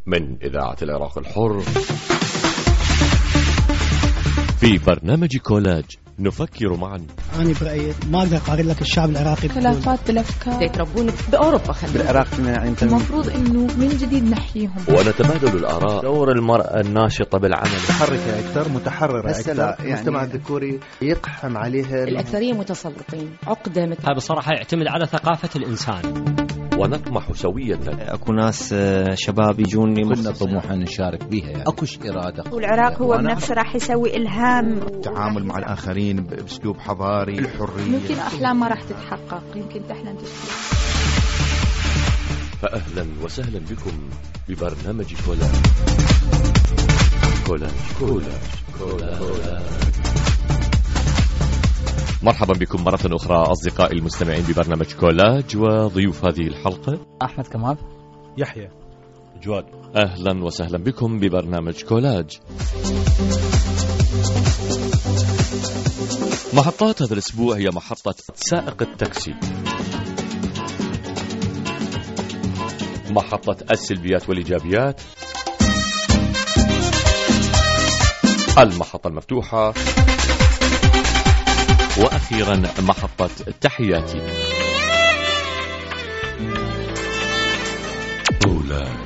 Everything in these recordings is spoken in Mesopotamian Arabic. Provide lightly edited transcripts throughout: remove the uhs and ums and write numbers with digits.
من إذاعة العراق الحر في برنامج كولاج نفكر معا. أنا برأيي ما أقدر أقارن لك الشعب العراقي خلافات بالأفكار يتربون بأوروبا. بالعراق المفروض إنه من جديد نحييهم ونتبادل الآراء. دور المرأة الناشطة بالعمل، متحركة أكثر، متحررة أكثر. يعني المجتمع الذكوري يقحم عليها الأكثرية متسلطين، عقدة مثل هذا بصراحة يعتمد على ثقافة الإنسان. ونطمح سويا أكو ناس شباب يجوني كنا طموحا نشارك بها، يعني أكوش إرادة. والعراق هو بنفسه راح يسوي إلهام، التعامل مع الآخرين بأسلوب حضاري، الحرية. ممكن أحلام ما راح تتحقق، يمكن تحلم تشتغل. فأهلا وسهلا بكم ببرنامج كولاج. كولاج كولاج كولاج. مرحبا بكم مرة أخرى أصدقائي المستمعين ببرنامج كولاج، وضيوف هذه الحلقة أحمد كمال، يحيى، جواد. أهلا وسهلا بكم ببرنامج كولاج. محطات هذا الأسبوع هي محطة سائق التاكسي، محطة السلبيات والإيجابيات، المحطة المفتوحة، وأخيرا محطة تحياتي.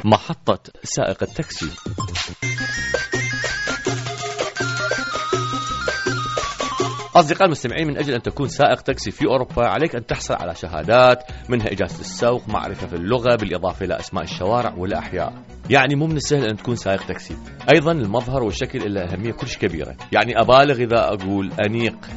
محطة سائق التاكسي. أصدقائي المستمعين، من أجل أن تكون سائق تاكسي في أوروبا عليك أن تحصل على شهادات، منها إجازة السوق، معرفة في اللغة، بالإضافة إلى أسماء الشوارع والأحياء. يعني مو من السهل أن تكون سائق تاكسي. أيضا المظهر والشكل له أهمية كلش كبيرة، يعني أبالغ إذا أقول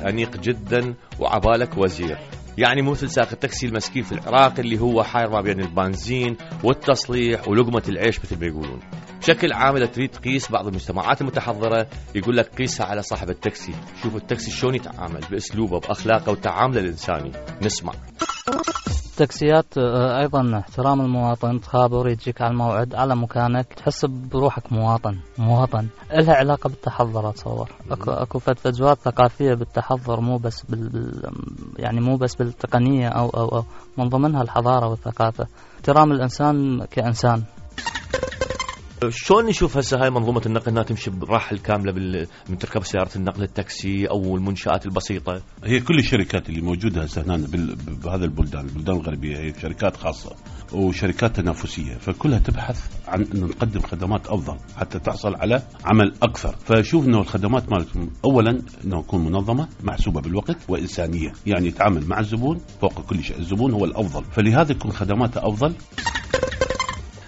أنيق جدا وعبالك وزير. يعني مو مثل سائق التاكسي المسكين في العراق اللي هو حاير ما بين البنزين والتصليح ولقمة العيش مثل ما يقولون. بشكل عام إذا تريد تقيس بعض المجتمعات المتحضرة يقول لك قيسها على صاحب التاكسي، شوف التاكسي شلون يتعامل بأسلوبه بأخلاقه وتعامله الإنساني. نسمع. التاكسيات أيضا احترام المواطن، تخابر، يجيك على الموعد، على مكانك، تحس بروحك مواطن. إلها علاقة بالتحضر. أتصور أكو فتوات ثقافية بالتحضر، مو بس يعني مو بس بالتقنية أو من ضمنها الحضارة والثقافة، احترام الإنسان كإنسان. شلون نشوف هسه هاي منظومة النقل انها تمشي بالراحة الكاملة من تركب سيارة النقل التاكسي او المنشآت البسيطة؟ هي كل الشركات اللي موجودة هسه هنا بهذا البلدان الغربية هي شركات خاصة وشركات تنافسية، فكلها تبحث عن أن نقدم خدمات أفضل حتى تحصل على عمل أكثر. فشوف أنه الخدمات مالتهم أولا أنه تكون منظمة، محسوبة بالوقت، وإنسانية، يعني يتعامل مع الزبون فوق كل شيء، الزبون هو الأفضل، فلهذا يكون خدماتها أفضل.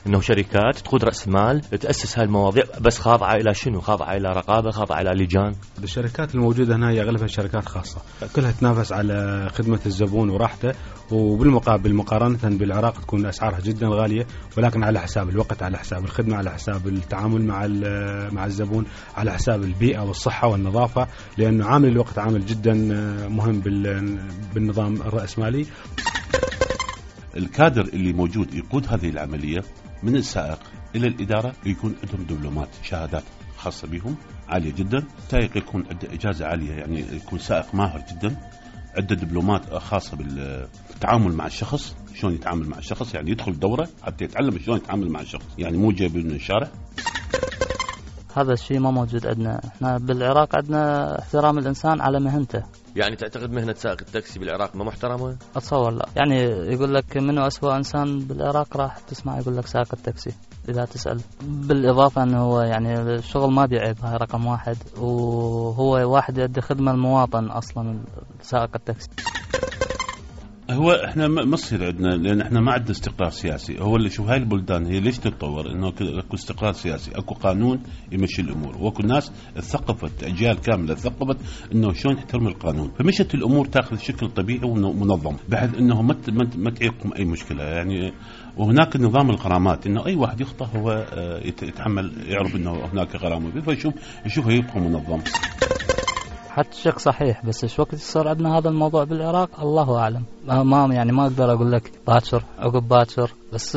انه شركات تقود راس المال تاسس هاي المواضيع، بس خاضعه الى شنو؟ خاضعه الى رقابه، خاضعه الى لجان. الشركات الموجوده هنا هي اغلبها شركات خاصه، كلها تنافس على خدمه الزبون وراحته، وبالمقابل مقارنه بالعراق تكون اسعارها جدا غاليه، ولكن على حساب الوقت، على حساب الخدمه، على حساب التعامل مع الزبون، على حساب البيئه والصحه والنظافه، لانه عامل الوقت عامل جدا مهم بالنظام الراسمالي. الكادر اللي موجود يقود هذه العمليه من السائق إلى الإدارة يكون عندهم دبلومات، شهادات خاصة بهم عالية جدا. سائق يكون عنده إجازة عالية، يعني يكون سائق ماهر جدا، عنده دبلومات خاصة بالتعامل مع الشخص، شلون يتعامل مع الشخص، يعني يدخل دورة حتى يتعلم شلون يتعامل مع الشخص، يعني مو جايب من الشارع. هذا الشيء ما موجود عندنا. احنا بالعراق عندنا احترام الإنسان على مهنته. يعني تعتقد مهنة سائق التاكسي بالعراق ما محترمة؟ أتصور لا. يعني يقول لك منو أسوأ إنسان بالعراق، راح تسمع يقول لك سائق التاكسي إذا تسأل. بالإضافة أنه هو يعني الشغل ما بيعيب، هاي رقم واحد، وهو واحد يؤدي خدمة المواطن أصلا سائق التاكسي. هو احنا ما تصير عندنا، لان احنا ما عندنا استقرار سياسي. هو اللي شوف هاي البلدان هي ليش تتطور، انه اكو استقرار سياسي، اكو قانون يمشي الامور، واكو ناس ثقفت، اجيال كامله ثقفت انه شلون تحترم القانون، فمشت الامور تاخذ شكل طبيعي ومنظم، بحيث انه ما تعيقهم اي مشكله يعني. وهناك نظام الغرامات، انه اي واحد يخطئ هو يتحمل، يعرف انه هناك غرامه، فيشوف يبقى منظم. حتى الشق صحيح، بس ايش وقت يصير عندنا هذا الموضوع بالعراق الله اعلم. ما اقدر اقول لك باكر عقب باكر، بس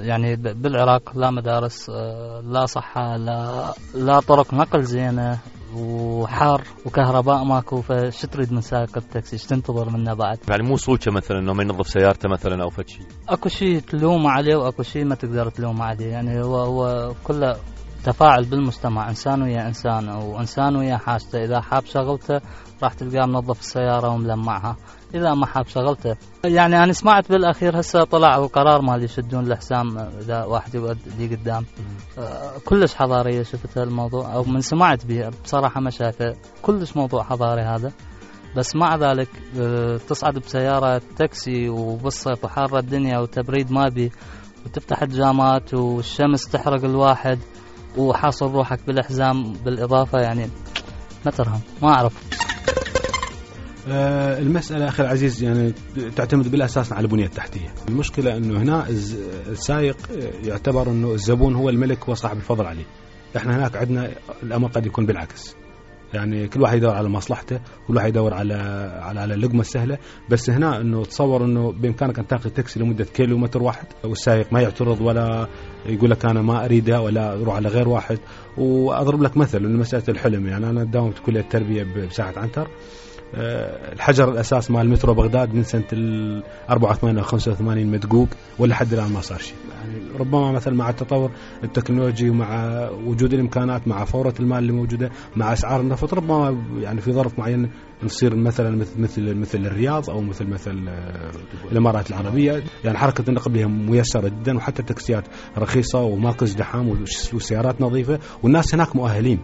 يعني بالعراق لا مدارس، لا صحه، لا طرق نقل زينه، وحار وكهرباء ماكو، فش تريد من سائق التاكسي؟ ايش تنتظر منه بعد؟ يعني مو صوته مثلا انه ما ينظف سيارته مثلا او فشي؟ اكو شيء تلوم عليه واكو شيء ما تقدر تلوم عليه، يعني هو كله تفاعل بالمجتمع، انسان ويا انسان وانسان ويا حاجته. اذا حاب شغلته راح تلقاه منظف السياره وملمعها، اذا ما حاب شغلته. يعني انا سمعت بالاخير هسه طلع القرار مال يشدون الحسام اذا واحد يودي قدام. كلش حضاريه شفت الموضوع، او من سمعت به بصراحه ما شايفه كلش موضوع حضاري هذا. بس مع ذلك تصعد بسياره تاكسي وبالصيف وحاره الدنيا وتبريد ما بي، وتفتح الجامات والشمس تحرق الواحد وحاصل روحك بالحزام بالاضافه، يعني ما ترهم ما اعرف. المسألة أخي العزيز يعني تعتمد بالأساس على البنية التحتية. المشكلة أنه هنا السائق يعتبر أنه الزبون هو الملك وصاحب الفضل عليه. إحنا هناك عندنا الأمر قد يكون بالعكس، يعني كل واحد يدور على مصلحته، كل واحد يدور على اللقمة السهلة. بس هنا أنه تصور أنه بإمكانك أن تأخذ تاكسي لمدة كيلومتر واحد والسائق ما يعترض ولا يقول لك أنا ما أريدها ولا أروح على غير واحد. وأضرب لك مثل إنه مسألة الحلم، يعني أنا داومت كلية التربية بساحة عنتر. الحجر الأساس مال مترو بغداد من سنة 84 أو 85 مدقوق ولا حد الآن ما صار شيء. يعني ربما مثلا مع التطور التكنولوجي ومع وجود الإمكانات مع فورة المال اللي موجودة مع أسعار النفط، ربما يعني في ظرف معين نصير مثلا مثل الرياض أو مثل الإمارات العربية. يعني حركة النقل بها ميسرة جدا، وحتى التاكسيات رخيصة وماكو ازدحام والسيارات نظيفة والناس هناك مؤهلين.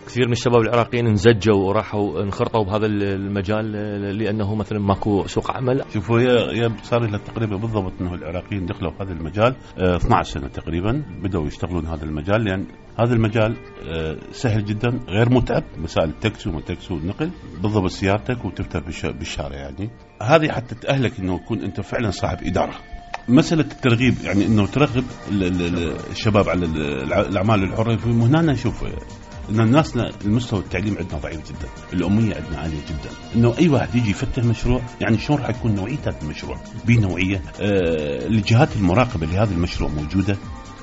كثير من الشباب العراقيين انزجوا وراحوا انخرطوا بهذا المجال لأنه مثلا ماكو سوق عمل. شوفوا يا صار لها تقريبا بالضبط أنه العراقيين دخلوا في هذا المجال 12 سنة تقريبا بدأوا يشتغلون هذا المجال، لأن هذا المجال سهل جدا غير متعب. مسائل التاكسي وما تاكسي والنقل بالضبط سيارتك وتفتح بالشارع، يعني هذه حتى تأهلك أنه تكون أنت فعلا صاحب إدارة. مسألة الترغيب يعني أنه ترغب الشباب على الأعمال الحرة. هنا نشوف إن الناسنا المستوى التعليم عندنا ضعيف جدا، الأمية عندنا عالية جدا. إنه أي واحد يجي يفتح مشروع، يعني شلون راح يكون نوعية هذا المشروع؟ بنوعية الجهات المراقبة لهذا المشروع موجودة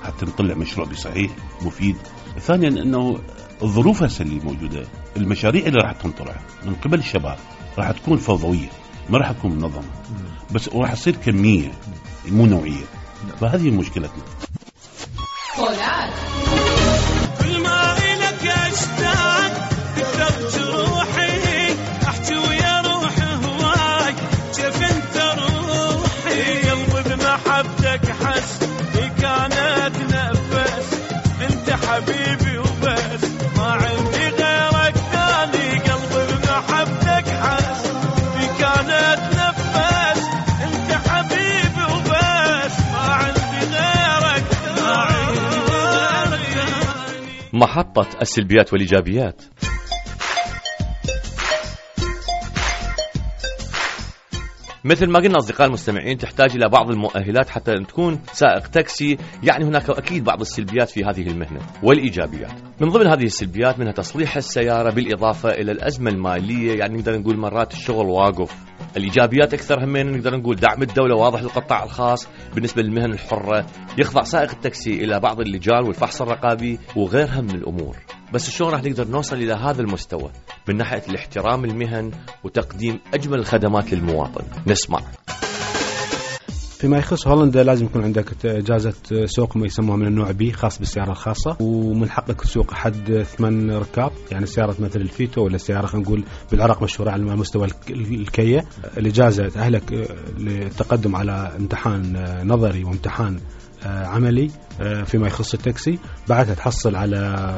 حتى نطلع مشروع بصحيح مفيد. ثانيا إنه الظروف هسه اللي موجودة، المشاريع اللي راح تنطرح من قبل الشباب راح تكون فوضوية، ما راح تكون منظمة، بس راح تصير كمية مو نوعية. فهذه مشكلتنا. كل ما إلك أشتاق تكتب جروحي، أحكي ويا روحي هواي كيف أنت روحي. قلبي بمحبتك حس كانت نفس، أنت حبيبي وبس ما عندي غيرك ثاني. قلبي بمحبتك حس كانت نفس، أنت حبيبي وبس ما عندي غيرك ثاني. محطة السلبيات والإيجابيات. مثل ما قلنا أصدقاء المستمعين، تحتاج إلى بعض المؤهلات حتى تكون سائق تاكسي. يعني هناك أكيد بعض السلبيات في هذه المهنة والإيجابيات. من ضمن هذه السلبيات منها تصليح السيارة، بالإضافة إلى الأزمة المالية، يعني نقدر نقول مرات الشغل واقف. الإيجابيات أكثر همين نقدر نقول دعم الدولة واضح للقطاع الخاص بالنسبة للمهن الحرة، يخضع سائق التاكسي إلى بعض اللجان والفحص الرقابي وغيرها من الأمور. بس شلون راح نقدر نوصل إلى هذا المستوى من ناحية الاحترام المهن وتقديم أجمل الخدمات للمواطن؟ نسمع. فيما يخص هولندا لازم يكون عندك إجازة سوق ما يسموها من النوع بي خاص بالسيارة الخاصة، ومن حقك تسوق حد 8 ركاب، يعني سيارة مثل الفيتو ولا سيارة خلينا نقول بالعراق مشهورة على مستوى الكية. الإجازة تأهلك للتقدم على امتحان نظري وامتحان عملي فيما يخص التاكسي. بعدها تحصل على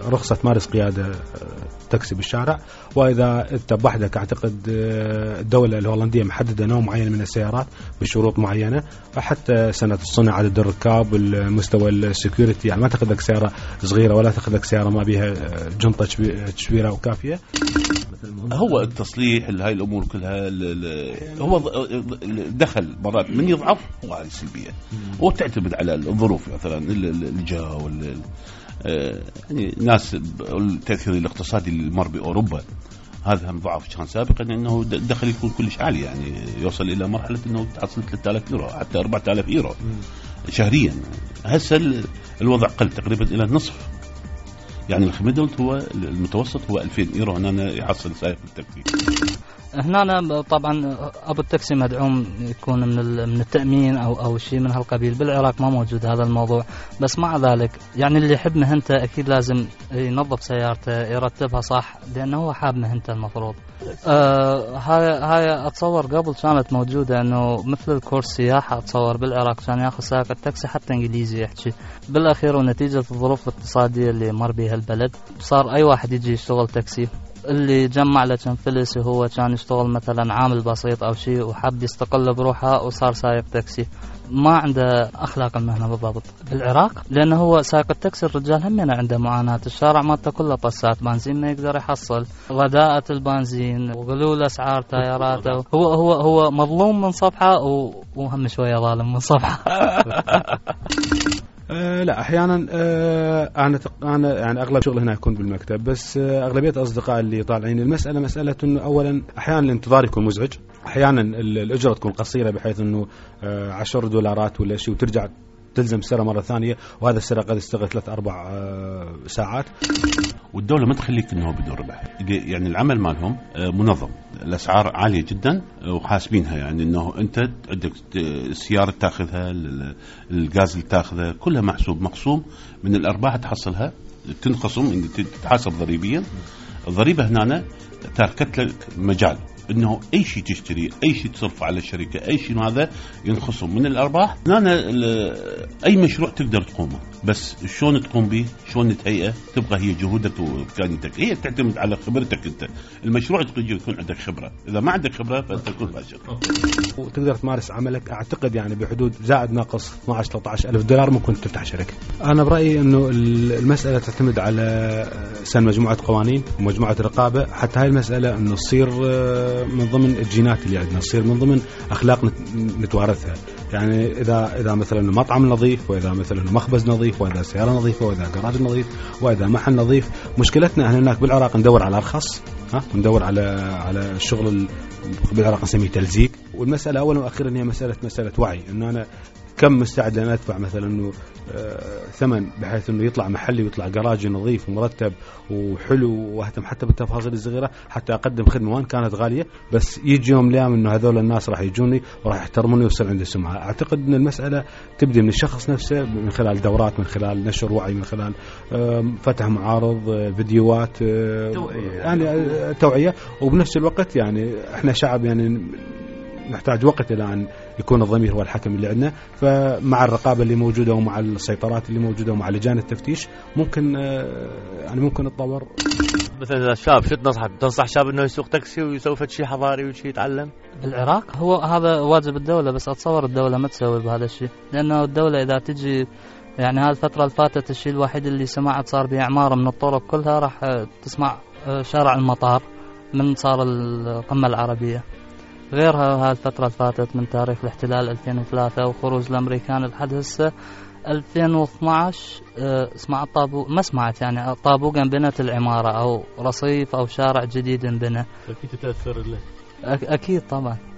رخصة تمارس قيادة تاكسي بالشارع. وإذا أنت بوحدك أعتقد الدولة الهولندية محددة نوع معين من السيارات بشروط معينة، حتى سنة الصنع، عدد الركاب، المستوى السيكوريتي. يعني ما تأخذ لك سيارة صغيرة ولا تأخذ لك سيارة ما بها جنطة تشويرة وكافية. هو التصليح هاي الأمور كلها هو دخل مرات من يضعف هو هذه السلبية، وتعتمد على الظروف مثلا الجو يعني ناس التأثير الاقتصادي اللي مر بأوروبا هذا هم ضعف كان سابقا، انه الدخل يكون كلش عالي، يعني يوصل الى مرحله انه تحصل 3000 يورو حتى 4000 يورو شهريا. هسه الوضع قل تقريبا الى النصف. يعني الميدل هو المتوسط هو 2000 يورو هنا يحصل سائق التاكسي. هنا طبعا ابو التاكسي مدعوم يكون من التامين او شيء من هالقبيل. بالعراق ما موجود هذا الموضوع، بس مع ذلك يعني اللي يحب مهنته اكيد لازم ينظف سيارته يرتبها صح، لانه هو حاب مهنته المفروض. هاي اتصور قبل كانت موجوده، انه مثل الكورس سياحه اتصور بالعراق كان ياخذ سائق التاكسي حتى انجليزي يحكي. بالاخير ونتيجه الظروف الاقتصاديه اللي مر بها البلد صار اي واحد يجي يشتغل تاكسي. اللي جمع له كم فلس وهو كان يشتغل مثلا عامل بسيط او شيء وحب يستقل بروحه وصار سائق تاكسي، ما عنده اخلاق المهنه بالضبط. بالعراق لانه هو سائق التاكسي الرجال همنا عنده معاناه، الشارع مالته كله طسات بنزين ما يقدر يحصل، رداءة البنزين وغلول اسعار تايراته، هو مظلوم من صفحه وهم شويه ظالم من صفحه. لا احيانا انا يعني اغلب شغل هنا يكون بالمكتب، بس اغلبيه الاصدقاء اللي طالعين المساله مساله انه اولا احيانا الانتظار يكون مزعج، احيانا الاجره تكون قصيره بحيث انه $10 ولا شيء وترجع تلزم السيارة مرة ثانية، وهذا السيارة قد يستغرق 3-4 ساعات. والدولة ما تخليك انه بدون ربح، يعني العمل مالهم منظم، الاسعار عالية جدا وحاسبينها، يعني انه انت عندك السيارة تاخذها، الغاز اللي تاخذه كلها مقسوم من الارباح تحصلها، تنخصم تتحاسب ضريبيا. الضريبة هنا تركت لك مجال انه اي شيء تشتري، اي شيء تصرف على الشركه، اي شيء هذا ينخصم من الارباح. هنا اي مشروع تقدر تقومه، بس شلون تقوم به، شلون تهيئه، تبغى هي جهودك وامكانياتك، هي تعتمد على خبرتك انت. المشروع يكون عندك خبره، اذا ما عندك خبره فانت تكون فاشل. وتقدر تمارس عملك اعتقد يعني بحدود زائد ناقص $12,000-13,000 ممكن تفتح شركه. انا برايي انه المساله تعتمد على سن مجموعه قوانين ومجموعه رقابه، حتى هاي المساله انه تصير من ضمن الجينات اللي عندنا، تصير من ضمن أخلاق نتوارثها. يعني إذا مثلا مطعم نظيف، وإذا مثلا مخبز نظيف، وإذا سيارة نظيفة، وإذا جراج نظيف، وإذا محل نظيف. مشكلتنا هناك بالعراق ندور على أرخص، وندور على الشغل بالعراق نسميه تلزيق. والمسألة أولا وأخيرا هي مسألة وعي، إنه أنا كم مستعد أن أدفع مثلا إنه ثمن بحيث إنه يطلع محلي ويطلع جراج نظيف ومرتب وحلو، واهتم حتى بالتفاصيل الصغيرة حتى أقدم خدمة وان كانت غالية، بس يجي يوم ليام إنه هذول الناس راح يجوني وراح يحترموني ويصير عندي سمعة. أعتقد إن المسألة تبدأ من الشخص نفسه، من خلال دورات، من خلال نشر وعي، من خلال فتح معارض، فيديوهات، يعني توعية. وبنفس الوقت يعني إحنا شعب يعني نحتاج وقت إلى أن يكون الضمير هو الحكم اللي عندنا. فمع الرقابة اللي موجودة ومع السيطرات اللي موجودة ومع لجان التفتيش ممكن نتطور. مثلا شاب شو تنصح شاب انه يسوق تاكسي ويسوي شيء حضاري وشيء يتعلم؟ بالعراق هو هذا واجب الدولة، بس اتصور الدولة ما تسوي بهذا الشيء، لانه الدولة اذا تجي يعني هذه الفترة اللي فاتت الشيء الوحيد اللي سمعت صار بإعمار من الطرق كلها، راح تسمع شارع المطار من صار القمة العربية. غيرها هذه الفترة اللي فاتت من تاريخ الاحتلال 2003 وخروج الأمريكان لحد هسه 2012 اسمع الطابوق، ما سمعت يعني طابوق بنت العمارة أو رصيف أو شارع جديد بنى. أكيد تتأثر له. أكيد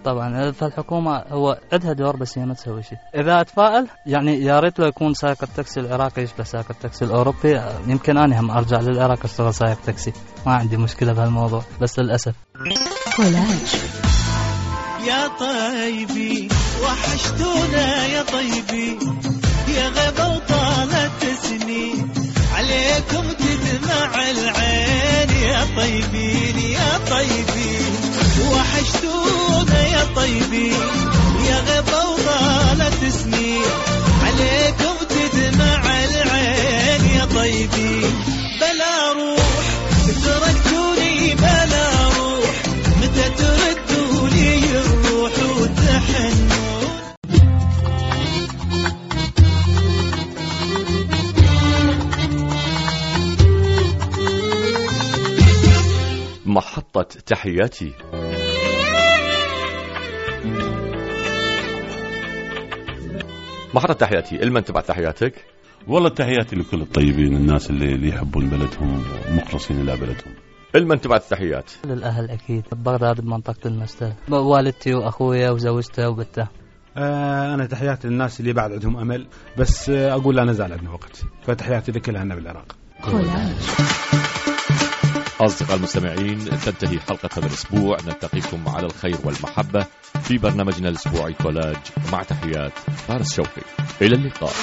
طبعا. فالحكومة هو عندها دور بس هي ما تسوي شيء. إذا أتفائل يعني يا ريت لو يكون سائق التاكسي العراقي يشبه سائق التاكسي الأوروبي، يمكن أنا هم أرجع للعراق أشتغل سائق تاكسي، ما عندي مشكلة بهالموضوع، بس للأسف. يا طيبي وحشتونا يا طيبي، يا غيبة وطالت سنين عليكم تدمع العين، يا طيبين يا طيبين وحشتونا يا طيبين، يا غيبة وطالت سنين عليكم تدمع العين، يا طيبين بلا روح تركتوني، بلا روح متى تردوني الروح وتحنون. محطة تحياتي. محطة تحياتي، لمن تبعت تحياتك؟ والله تحياتي لكل الطيبين، الناس اللي يحبون بلدهم ومخلصين إلى بلدهم. لمن تبعت التحيات؟ للأهل أكيد ببغداد بمنطقة المستل، والدتي وأخويا وزوجته وبنته. أنا تحياتي للناس اللي بعد عندهم أمل، بس أقول لا نزال عندنا وقت، فتحياتي لكل أهلنا بالعراق. كولاج. أصدقاء المستمعين، تنتهي حلقة هذا الأسبوع. نلتقيكم على الخير والمحبة في برنامجنا الأسبوعي كولاج، مع تحيات فارس شوقي. إلى اللقاء.